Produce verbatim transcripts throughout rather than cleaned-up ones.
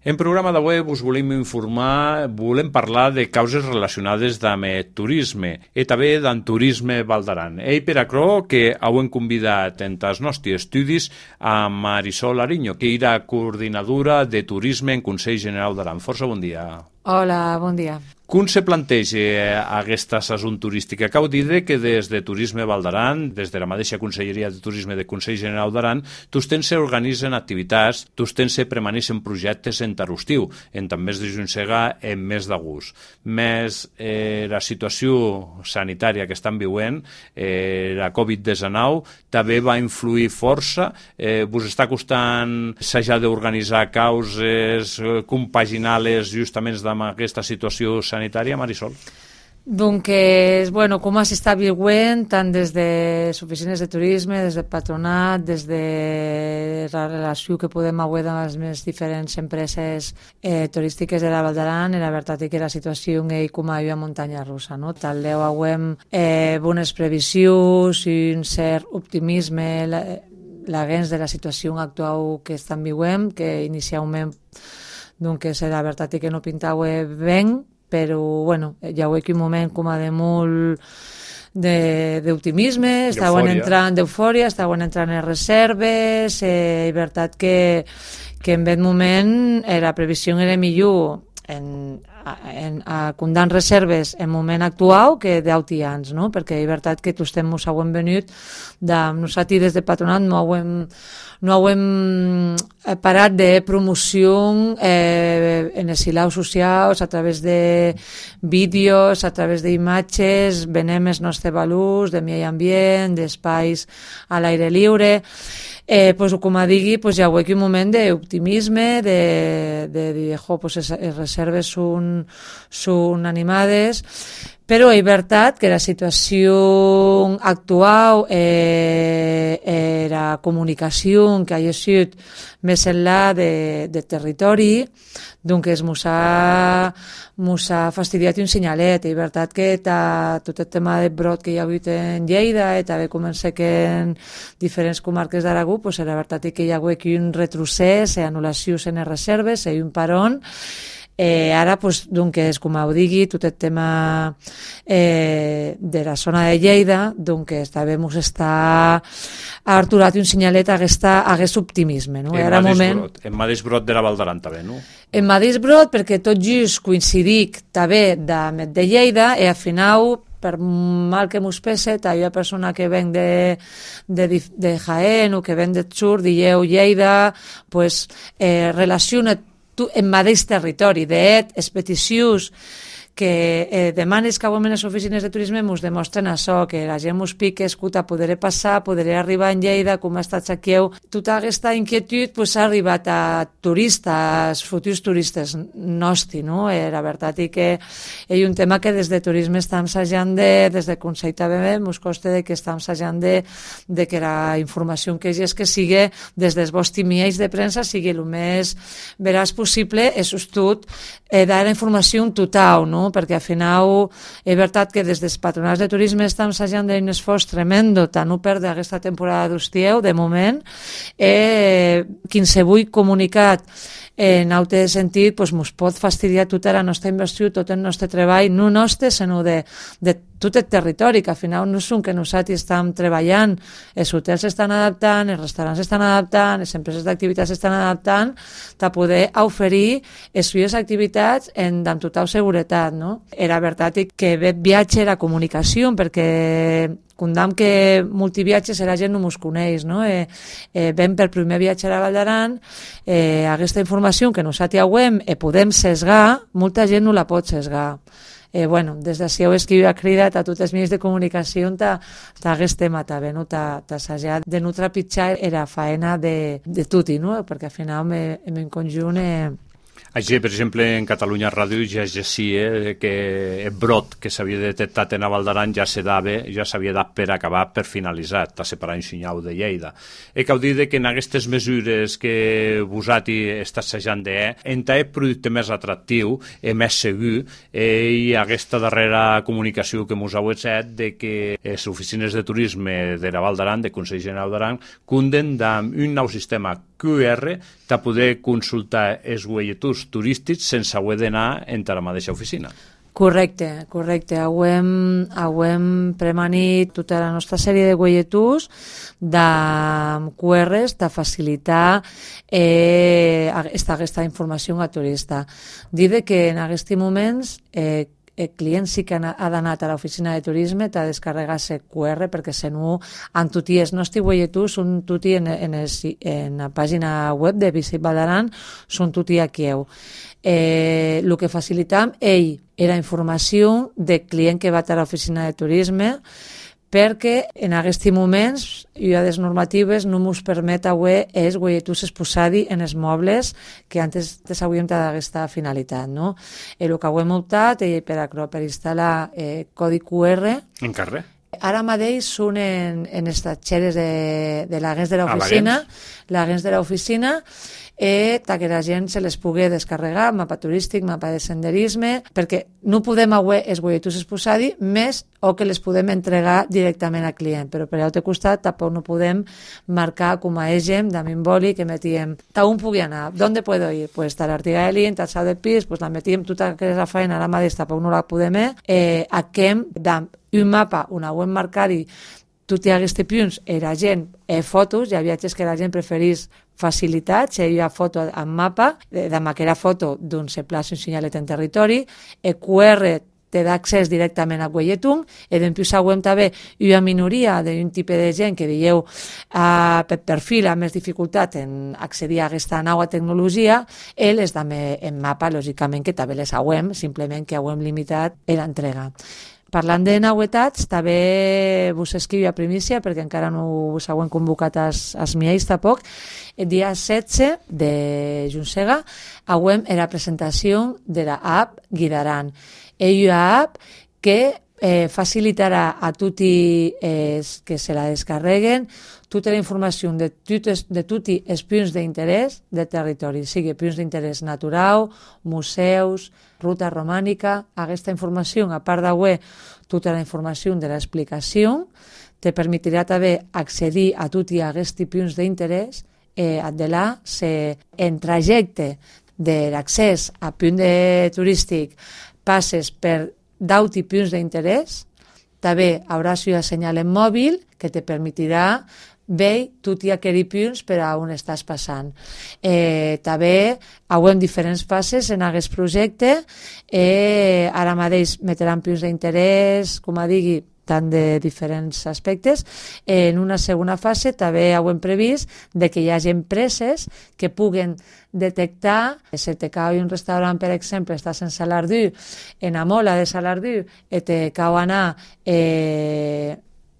En programa d'avui us volem informar, volem parlar de causes relacionades amb el turisme i també del turisme Val d'Aran. I per això que hem convidat en els nostres estudis a Marisol Ariño, que era coordinadora de turisme en Consell General d'Aran. Força bon dia. Hola, bon dia. Com se planteja aquesta sason turística? Cal dir que des de Turisme Val d'Aran, des de la mateixa Conselleria de Turisme de Consell General d'Aran, tots se organitzen activitats, tots se permaneixen projectes en Tarostiu, en també de Juncega, en més d'agost. Més eh, la situació sanitària que estan vivint, eh, la covid diecinueve, també va influir força. Eh, vos està costant s'haja d'organitzar causes, eh, compaginar-les justament amb aquesta situació sanitària? sanitària, Marisol? Doncs, bueno, com s'està vivint tant des de les oficines de turisme, des del patronat, des de la relació que podem avui amb les diferents empreses eh, turístiques de la Val d'Aran, la veritat és que la situació és com a muntanya russa, no? Tal deu avem eh, bones previsions i un cert optimisme la, la gens de la situació actual que estan vivint, que inicialment doncs la veritat és que no pintava bé, però bueno, hi ha un moment com a de molt d'optimisme, estaven entrant d'eufòria, estaven entrant en reserves, eh, és veritat que, que en aquest moment eh, la previsió era millor en, en, a condant reserves en moment actual que d'altians, no? Perquè és veritat que tots mos hem venut de nosaltres des de patronat no hem no hem parat de promoció eh, en els silaus socials a través de vídeos, a través d'imatges, venem els nostres valors de medi ambient, d'espais a l'aire lliure. Eh, pues, com a digui, pues, hi ha un moment d'optimisme, de, de dir, jo, pues, les reserves són, són animades, però és veritat que la situació actual, eh, la comunicació que ha sigut més enllà de, de territori, doncs mos ha, mos ha fastidiat un senyalet. És veritat que ta, tot el tema de brot que hi ha hagut en Lleida i també comença que en diferents comarques d'Aragó, pues, la veritat és que hi ha hagut un retrocés, anul·lacions en les reserves, i un paron. Eh, ara, pues, doncs, com ho digui, tot el tema eh, de la zona de Lleida, doncs, també ens està arturat un senyalet a aquest optimisme. No? En mateix moment... brot, en mateix brot de la Val d'Aran també, no? En mateix brot, perquè tot just coincidic també de, de Lleida, i al final, per mal que mos pese, hi ha persona que ven de, de, de Jaén o que ven de Sur, dieu Lleida, pues, eh, relaciona en mateix territori. De les peticions que eh, demanes que en les oficines de turisme ens demostren això, que la gent ens pica, escolta, podré passar, podré arribar en Lleida, com ha estat aquí. Tota aquesta inquietud pues, ha arribat a turistes, futurs turistes nostres, no? Eh, la veritat és que és un tema que des de turisme estem assajant de, des de Consell també ens costa de que estem assajant de, de que la informació que és que sigui des dels vostres mitjans de premsa sigui el més veraç possible, és tot eh, dar la informació total, no? Perquè al final és veritat que des dels patronats de turisme estem assajant d'un esforç tremendo tant no perdre aquesta temporada d'estieu, de moment, eh, qualsevol comunicat en altre sentit pues, ens pot fastidiar tota la nostra inversió, tot el nostre treball, no nostre, sinó de, de tot el territori, que al final no són que nosaltres estem treballant, els hotels s'estan adaptant, els restaurants s'estan adaptant, les empreses d'activitats s'estan adaptant, a poder oferir les seves activitats en, amb total seguretat. No? Era veritat que ve viatge la comunicació, perquè condam que multiviatges la gent no mos coneix, no? Eh, eh, ven per primer viatge a la Val d'Aran, eh, aquesta informació que nosaltres hem eh, podem sesgar, molta gent no la pot sesgar. Eh, bueno, des d'ací heu escrivit a cridat a tots els mitjans de comunicació aquest tema també, no? T'assajar de no trepitjar la faena de, de tutti, no? Perquè al final en conjunt eh, Així, per exemple, en Catalunya Ràdio ja ja sí eh, que el brot que s'havia detectat en la Val d'Aran ja se dava, ja s'havia dat per acabar, per finalitzar, a separar un senyal de Lleida. I cal dir que en aquestes mesures que vosaltres està assajant de, entre el producte més atractiu i més segur, eh, i aquesta darrera comunicació que ens heu fet de que les oficines de turisme de la Val d'Aran, de Consell General d'Aran, cunden d'un nou sistema Q R per poder consultar els guaieturs turístics sense haver d'anar entre la mateixa oficina. Correcte, correcte. Hem, hem premanit tota la nostra sèrie de guaieturs de Q Rs de facilitar eh, aquesta, aquesta informació a turista. Dir que en aquests moments eh, el client sí que ha d'anar a l'oficina de turisme, t'ha de descarregar-se Q R perquè se no en tutti els nostres guaieturs són tutti en, en, el, en la pàgina web de Visit Val d'Aran, són tutti aquí. Eh, el que facilitam ell era informació del client que va a l'oficina de turisme, perquè en aquests moments hi ha les normatives no ens permet avui els guaieturs exposar-hi en els mobles que antes hauríem d'aquesta finalitat. No? El que hem optat eh, per, per instal·lar eh, codi Q R en carrer. Ara mateix són en, en estatgeres de, de l'agents de l'oficina, l'agents de l'oficina, eh, que la gent se les pugui descarregar, mapa turístic, mapa de senderisme, perquè no podem avui els guaieturs exposar-hi més o que les podem entregar directament al client, però per l'altre costat tampoc no podem marcar com a eixem, damunt boli, que metíem, on pugui anar, d'on puedo ir? Pues tal artiga de l'int, tal sal del pis, pues la metíem tota aquesta feina, ara mateix tampoc no la podem, eh, aquem d'un mapa, una web marcar-hi tots aquests punts, era gent eh, fotos, hi ha viatges que la gent preferís facilitat, si hi ha foto en mapa, de, de maquera foto d'un se plaça un senyalet en territori, el Q R te da accés directament a guaietun, i després següent també hi ha minoria d'un tipus de gent que dieu uh, per perfil amb més dificultat en accedir a aquesta nova tecnologia, ells també en mapa, lògicament que també les hauem, simplement que hauem limitat l'entrega. Parlant de novetats, també vos escriu a primícia, perquè encara no us hauem convocat als, als miais tampoc. El dia setze de juny hauem la presentació de la app Guidaran. És una app que eh, facilitarà a tutti eh, que se la descarreguen tota la informació de tots els punts d'interès del territori, sigui punts d'interès natural, museus, ruta romànica. Aquesta informació, a part d'avui, tota la informació de l'explicació, te permetirà també accedir a tots aquests punts d'interès, eh, de là, se, en trajecte de l'accés a punt de turístic passes per deu punts d'interès, també hauràs un senyal en mòbil que te permetirà veure tots aquests punts per a on estàs passant. Eh, també hauem diferents fases en aquest projecte. Eh, ara mateix metran punts d'interès, com a digui, tant de diferents aspectes. En una segona fase també hauem previst de que hi hagi empreses que puguen detectar, si te cau un restaurant, per exemple, està en Salardú, en la mola de Salardú, i te cau anar eh,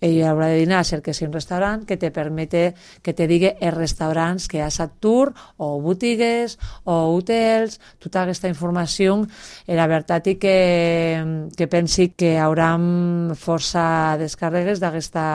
i haurà de dinar cerca si un restaurant que te permete, que te digui els restaurants que hi ha a Tour, o botigues, o hotels, tota aquesta informació. La veritat és que, que pensi que hi haurà força descàrregues d'aquesta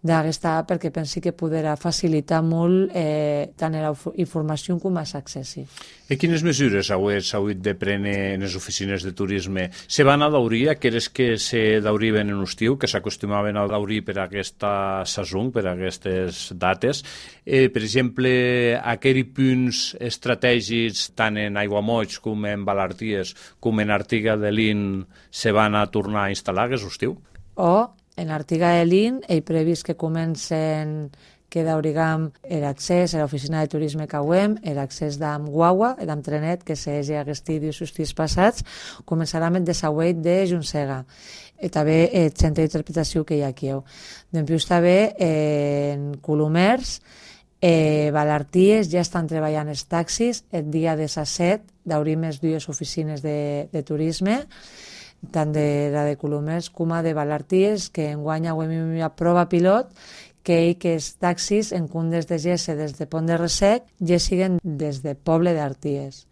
d'aquesta app, perquè pensi que podrà facilitar molt eh, tant la informació com els accessi. I quines mesures heu hagut de prendre en les oficines de turisme? Se van a daurir aquelles que se dauriven en l'estiu, que s'acostumaven a daurir per aquesta saison, per aquestes dates? Eh, per exemple, aquells punts estratègics, tant en Aiguamolls com en Valarties, com en Artiga de l'In, se van a tornar a instal·lar aquest estiu? O en l'Artiga de l'In he previst que comencen que daurigam l'accés a l'oficina de turisme que hauem, l'accés d'am guagua, d'am trenet, que s'hagi aquest dies els dies passats, començarà amb el desauet de Junsega. I també el centre d'interpretació que hi ha aquí. Després també en Colomers, eh, Valarties ja estan treballant els taxis, el dia disset d'obrir més dues oficines de, de turisme, tant de la de Colomers com a de Valarties, que enguany hauem una prova pilot que hi que els taxis en comptes de Gesse des de Pont de Ressec ja siguen des de Poble d'Arties.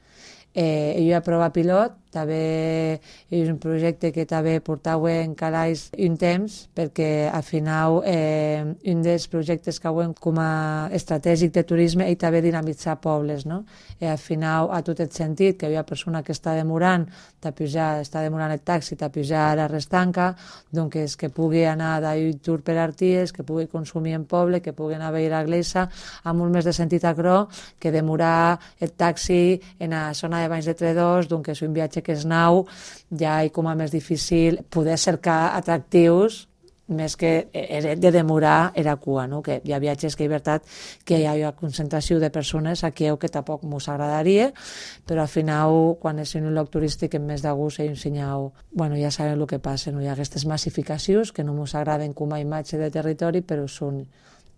Eh, hi ha prova pilot també és un projecte que també portava en calaix un temps, perquè al final eh, un dels projectes que hem com a estratègic de turisme és també dinamitzar pobles, no? I al final, a tot el sentit, que hi ha persona que està demorant, pujar, està demorant el taxi, a pujar a la restanca, doncs és que pugui anar d'un tour per Arties, que pugui consumir en poble, que pugui anar a veure la Glesa, amb molt més de sentit acrò que demorar el taxi en la zona de Banys de Tredòs, doncs és un viatge que és nou, ja és com a més difícil poder cercar atractius més que de demorar era cua, no? Que hi ha viatges que és veritat que hi ha una concentració de persones aquí que tampoc mos agradaria, però al final quan és un lloc turístic en més de gust i un senyal, bueno, ja sabem el que passa, no? Hi ha aquestes massificacions que no mos agraden com a imatge de territori, però són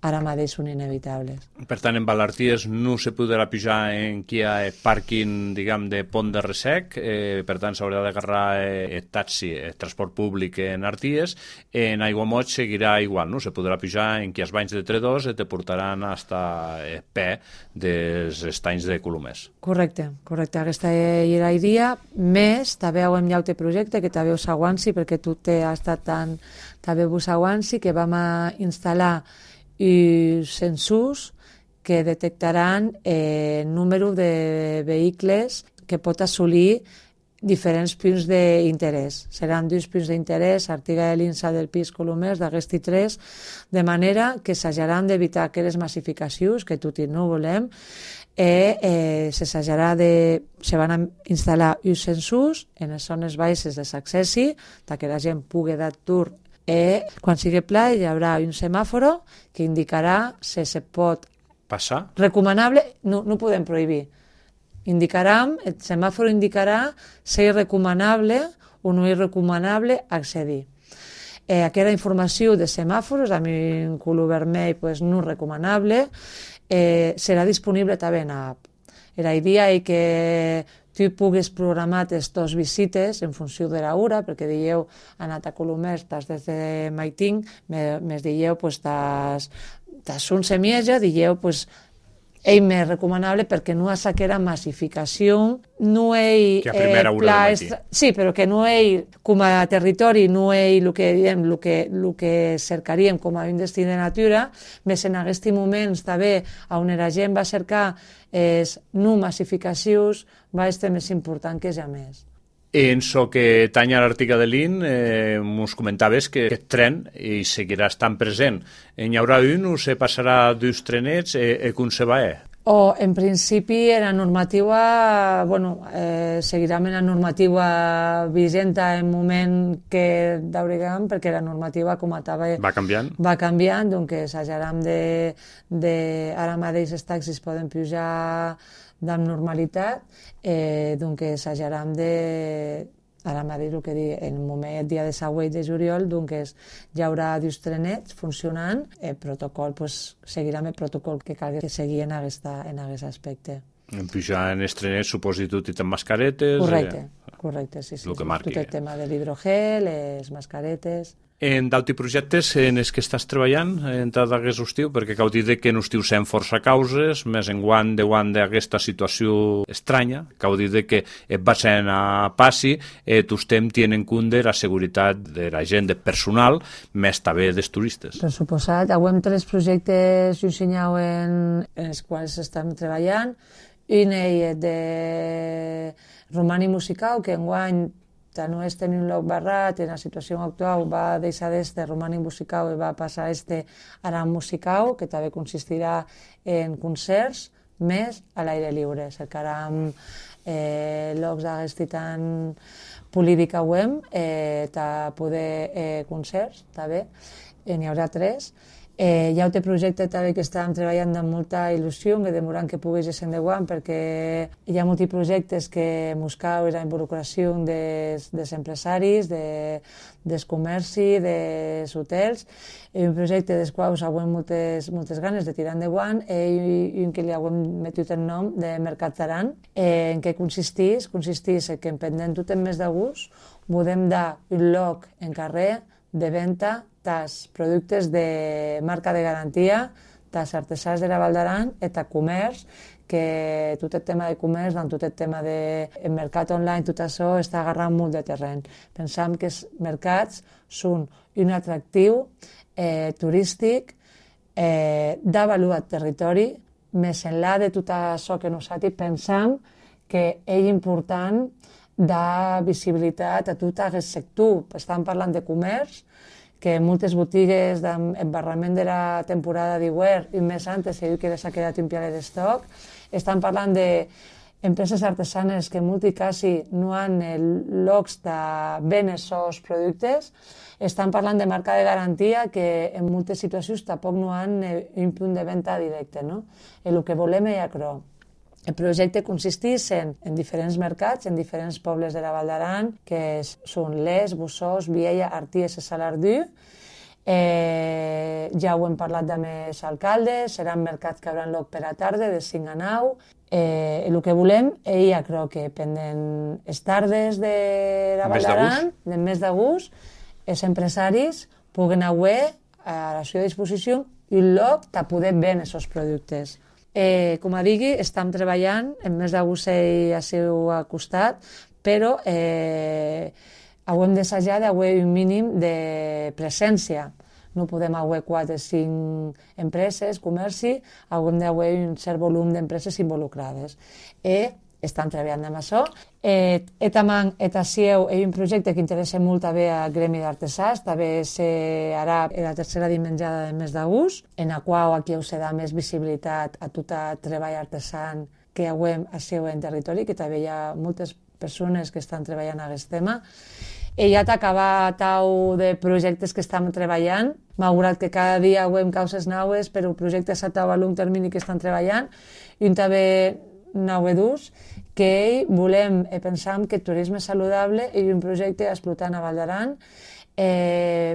ara mateix són inevitables. Per tant, en Valarties no se podrà pujar en qui hi ha pàrquing, diguem, de Pont de Ressec, eh, per tant, s'haurà d'agarrar eh, el taxi, el transport públic en Arties. En Aiguamoig seguirà igual, no? Se podrà pujar en qui els banys de Tredòs i te portaran fins a P dels estanys de Colomers. Correcte, correcte. Aquesta era la idea. Més, també hem un altre projecte que també us aguanci, perquè tu t'has estat tan... també us aguanci, que vam a instal·lar i sensors que detectaran el eh, número de vehicles que pot assolir diferents punts d'interès. Seran dos punts d'interès, Artiga de l'Insa del Pis Colomers, d'Aguesti tres, de manera que s'hajaran d'evitar aquelles massificacions que tot i no volem, i eh, s'hajarà de... se van a instal·lar uns sensors en les zones baixes de l'accessi, perquè la gent pugui dar tour. I quan sigui pla hi haurà un semàforo que indicarà si se pot passar. Recomanable, no, no podem prohibir. Indicarà, el semàforo indicarà si és recomanable o no és recomanable accedir. Eh, aquesta informació de semàforos, amb un color vermell pues, no recomanable, eh, serà disponible també en l'app. La idea és que tu puguis programar les teves visites en funció de l'hora, perquè dieu, anat a Colomers, estàs des de Maiting, més dieu, pues, estàs un semieja, dieu, pues, és més recomanable perquè no és aquella massificació, no és... Que a primera hora de matí. Sí, però que no és, com a territori, no és el que, diem, el que, el que cercaríem com a un destí de natura, més en aquests moments també on la gent va cercar és no massificacions, va ser més important que ja més. En so que tanya l'Artiga de l'In, eh, ens comentaves que aquest tren i seguirà estant present. N'hi haurà un o se passarà dos trenets e, e com se va? O, en principi, la normativa, bueno, eh, seguirà amb la normativa vigent en moment que d'Auregam, perquè la normativa, com a tal, va canviant, va canviant, doncs s'hajaran de, de... Ara mateix els taxis poden pujar amb normalitat, eh, doncs s'hajaran de... Ara mateix el que dic, en el moment, el dia de següent de juliol, doncs hi haurà dos trenets funcionant, el protocol, pues, seguirà amb el protocol que calgui seguir en aquest, en aquest aspecte. En pujar en els trenets, suposi tot i amb mascaretes... Correcte, eh, correcte, sí, sí. El que marqui. Tot el tema de l'hidrogel, les mascaretes... En d'altres projectes en els que estàs treballant en tot aquest estiu, perquè cal dir que en estiu sent força causes, més en guant de guant d'aquesta situació estranya, cal dir que va ser a passi, eh, tu estem tenint en compte la seguretat de la gent, de personal, més també dels turistes. Per suposat, avui tres projectes dissenyats en, en els quals estem treballant, un és de Romani Musical, que enguany no és tenir un lloc barrat, en la situació actual va deixar d'este Romani Musical i va passar a este Aram Musical, que també consistirà en concerts més a l'aire lliure. Cercarem eh, llocs d'aquest tan política web, eh, per poder eh, concerts, també, eh, n'hi haurà tres. Eh, hi ha un projecte també que estàvem treballant amb molta il·lusió, que demorant que pogués ser endavant, perquè hi ha molts projectes que buscau la involucració dels, dels empresaris, de, dels comercis, dels hotels, i un projecte dels quals hem moltes, moltes ganes de tirar endavant, i un que li hem metut el nom de Mercat Taran. Eh, en què consisteix? Consisteix que en pendent tot el mes d'agost podem dar un lloc en carrer de venda dels productes de marca de garantia, dels artesans de la Val d'Aran i del comerç que tot el tema de comerç, doncs, tot el tema de el mercat online, tot això està agarrant molt de terreny. Pensam que els mercats són un atractiu eh, turístic eh, d'avaluar el territori, més enllà de tot això que nosaltres pensam que és important de visibilitat a tot aquest sector. Estan parlant de comerç, que moltes botigues d'embarrament de la temporada d'hivern i més antes se diu que s'ha quedat un pialet d'estoc. Estan parlant d'empreses artesanes que en molts casos no han llocs de vendre els productes. Estan parlant de marca de garantia que en moltes situacions tampoc no han un punt de venda directe. No? El que volem és això. El projecte consisteix en, en diferents mercats, en diferents pobles de la Val d'Aran, que són Les, Bossòs, Viella, Arties i Salardú. Eh, ja ho hem parlat amb els alcaldes, seran mercats que hauran lloc per a tarda, de cinc a nou. Eh, el que volem és, ja crec que pendent les tardes de la Val d'Aran, del mes d'agost, els empresaris puguen haver a la seva disposició un lloc per poder vendre aquests productes. Eh, com a digui, estem treballant, en mes d'agost a seu costat, però eh, hem d'assajar d'haver un mínim de presència. No podem haver quatre o cinc empreses, comerci, hem d'haver un cert volum d'empreses involucrades. I estan treballant amb això. Eh, Etamang, Etasieu, és un projecte que interessa molt també al gremi d'artesans, també serà la tercera dimensionada del mes d'agost, en la qual aquí us serà més visibilitat a tot el treball artesan que hauem a seu en territori, que també hi ha moltes persones que estan treballant en aquest tema. I ja t'acaba tau de projectes que estem treballant, malgrat que cada dia hauem causes noves, però projectes a tau a long termini que estan treballant, i un també novedós, que volem i pensam que el turisme saludable és un projecte explotant a Val d'Aran, eh,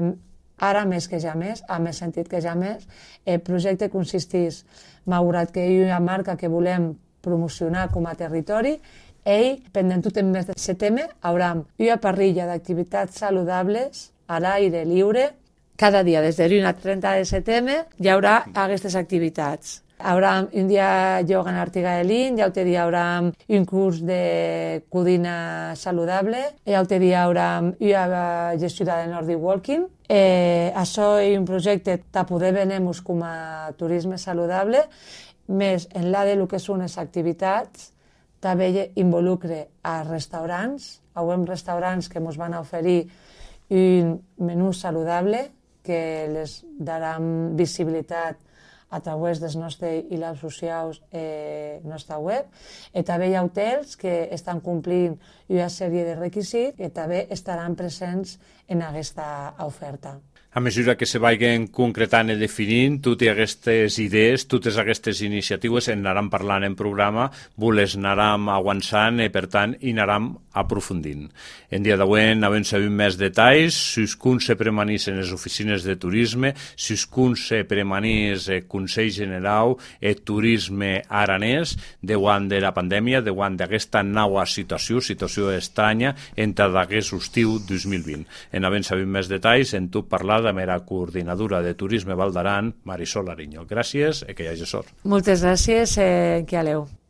ara més que ja més, a més sentit que ja més. El projecte consisteix, malgrat que hi ha una marca que volem promocionar com a territori, ell, pendent tot el mes de setembre, haurà una parrilla d'activitats saludables a l'aire lliure. Cada dia, des de l'u al trenta de setembre, hi haurà aquestes activitats. Haurà un dia ioga en Artigaelín, l'altre dia haurà un curs de cuina saludable, l'altre dia haurà una gestió de Nordic Walking. Eh, això és un projecte per poder venir-nos com a turisme saludable, més enllà del que són les activitats, també involucre a restaurants. Hauem restaurants que ens van oferir un menú saludable que les daran visibilitat a través dels nostres hilals socials eh, nostra web. I també hi ha hotels que estan complint una sèrie de requisits i també estaran presents en aquesta oferta. A mesura que se vagin concretant i definint totes aquestes idees, totes aquestes iniciatives, en anaran parlant en programa, les anaram avançant i, per tant, hi anaram aprofundint. En dia d'avui havem sabut més detalls, si us kun se premanís en les oficines de turisme, si us kun se premanís el Consell General el Turisme Aranès, davant de la pandèmia, davant d'aquesta nova situació, situació estranya, entre d'aquest estiu dos mil vint. En havent sabut més detalls, en tu parlar amb la coordinadora de Turisme Val d'Aran, Marisol Ariño. Gràcies i que hi hagi sort. Moltes gràcies, eh, que aleu.